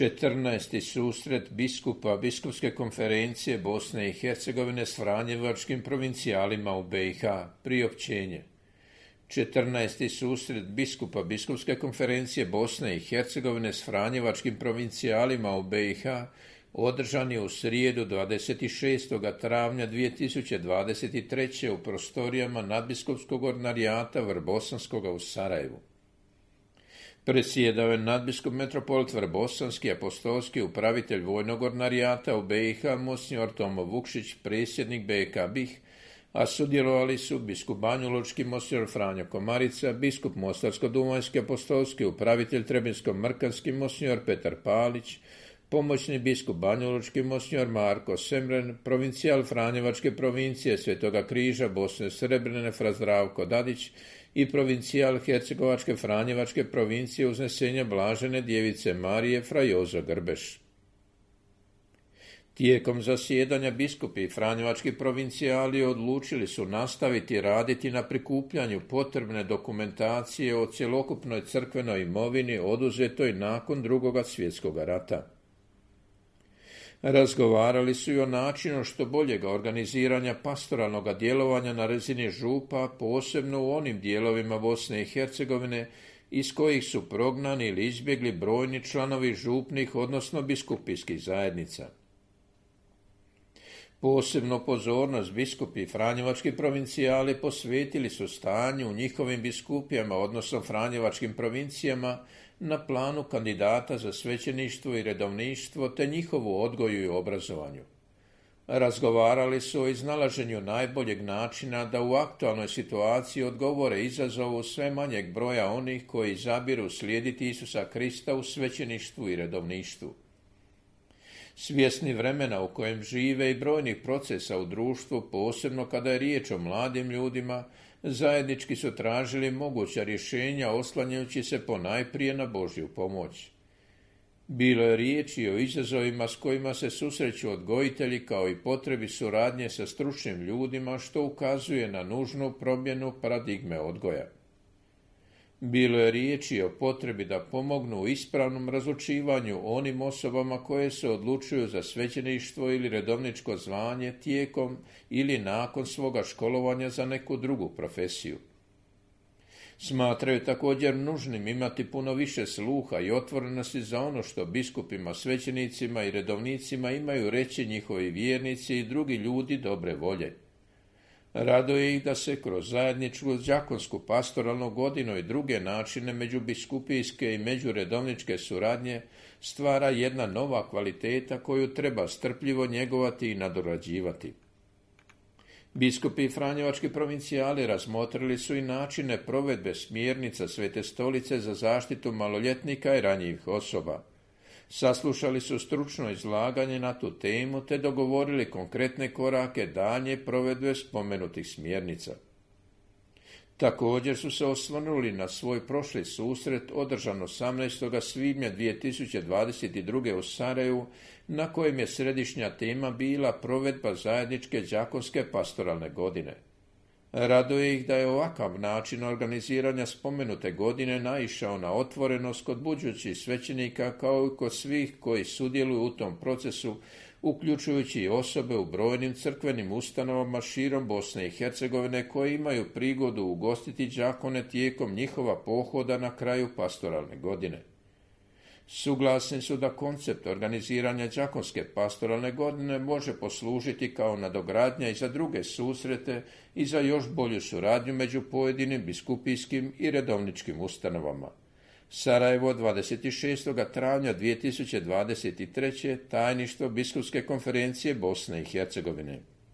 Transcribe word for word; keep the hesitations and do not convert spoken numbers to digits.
četrnaesti susret biskupa Biskupske konferencije Bosne i Hercegovine s franjevačkim provincijalima u B i H. Priopćenje. četrnaesti susret biskupa Biskupske konferencije Bosne i Hercegovine s franjevačkim provincijalima u B i H održan je u srijedu dvadeset šestog travnja dvije tisuće dvadeset treće. u prostorijama nadbiskupskog ordinarijata Vrbosanskoga u Sarajevu. Predsjedao je nadbiskup metropolit Vrbosanski, apostolski upravitelj vojnog ordinarijata u B i H, monsignor Tomo Vukšić, predsjednik B K B I H, a sudjelovali su biskup banjuločki monsignor Franjo Komarica, biskup mostarsko-duvanjski apostolski upravitelj trebinsko-mrkanski monsignor Petar Palić, pomoćni biskup banjuločki monsignor Marko Semren, provincijal franjevačke provincije Svetoga križa Bosne Srebrene fra Zdravko Dadić i provincijal hercegovačke franjevačke provincije Uznesenja Blažene djevice Marije fra Jozo Grbeš. Tijekom zasjedanja biskupi i franjevački provincijali odlučili su nastaviti raditi na prikupljanju potrebne dokumentacije o cjelokupnoj crkvenoj imovini oduzetoj nakon Drugog svjetskog rata. Razgovarali su i o načinu što boljega organiziranja pastoralnog djelovanja na razini župa, posebno u onim dijelovima Bosne i Hercegovine iz kojih su prognani ili izbjegli brojni članovi župnih, odnosno biskupijskih zajednica. Posebno pozornost biskupi i franjevački provincijali posvetili su stanju u njihovim biskupijama, odnosno franjevačkim provincijama, na planu kandidata za svećeništvo i redovništvo te njihovu odgoju i obrazovanju. Razgovarali su o iznalaženju najboljeg načina da u aktualnoj situaciji odgovore izazovu sve manjeg broja onih koji izabiru slijediti Isusa Krista u svećeništvu i redovništvu. Svjesni vremena u kojem žive i brojnih procesa u društvu, posebno kada je riječ o mladim ljudima, zajednički su tražili moguća rješenja oslanjajući se ponajprije na Božju pomoć. Bilo je riječi o izazovima s kojima se susreću odgojitelji kao i potrebi suradnje sa stručnim ljudima, što ukazuje na nužnu promjenu paradigme odgoja. Bilo je riječi o potrebi da pomognu u ispravnom razlučivanju onim osobama koje se odlučuju za svećeništvo ili redovničko zvanje tijekom ili nakon svoga školovanja za neku drugu profesiju. Smatraju također nužnim imati puno više sluha i otvorenosti za ono što biskupima, svećenicima i redovnicima imaju reći njihovi vjernici i drugi ljudi dobre volje. Raduje ih da se kroz zajedničku đakonsku pastoralnu godinu i druge načine međubiskupijske i međuredovničke suradnje stvara jedna nova kvaliteta koju treba strpljivo njegovati i nadorađivati. Biskupi i franjevački provincijali razmotrili su i načine provedbe smjernica Svete stolice za zaštitu maloljetnika i ranjivih osoba. Saslušali su stručno izlaganje na tu temu te dogovorili konkretne korake daljnje provedbe spomenutih smjernica. Također su se osvrnuli na svoj prošli susret održan osamnaestog svibnja dvije tisuće dvadeset druge. u Sarajevu, na kojem je središnja tema bila provedba zajedničke đakonske pastoralne godine. Raduje ih da je ovakav način organiziranja spomenute godine naišao na otvorenost kod budućih svećenika kao i kod svih koji sudjeluju u tom procesu, uključujući i osobe u brojnim crkvenim ustanovama širom Bosne i Hercegovine koji imaju prigodu ugostiti đakone tijekom njihova pohoda na kraju pastoralne godine. Suglasni su da koncept organiziranja đakonske pastoralne godine može poslužiti kao nadogradnja i za druge susrete i za još bolju suradnju među pojedinim biskupijskim i redovničkim ustanovama. Sarajevo, dvadeset šestog travnja dvije tisuće dvadeset treće. Tajništvo Biskupske konferencije Bosne i Hercegovine.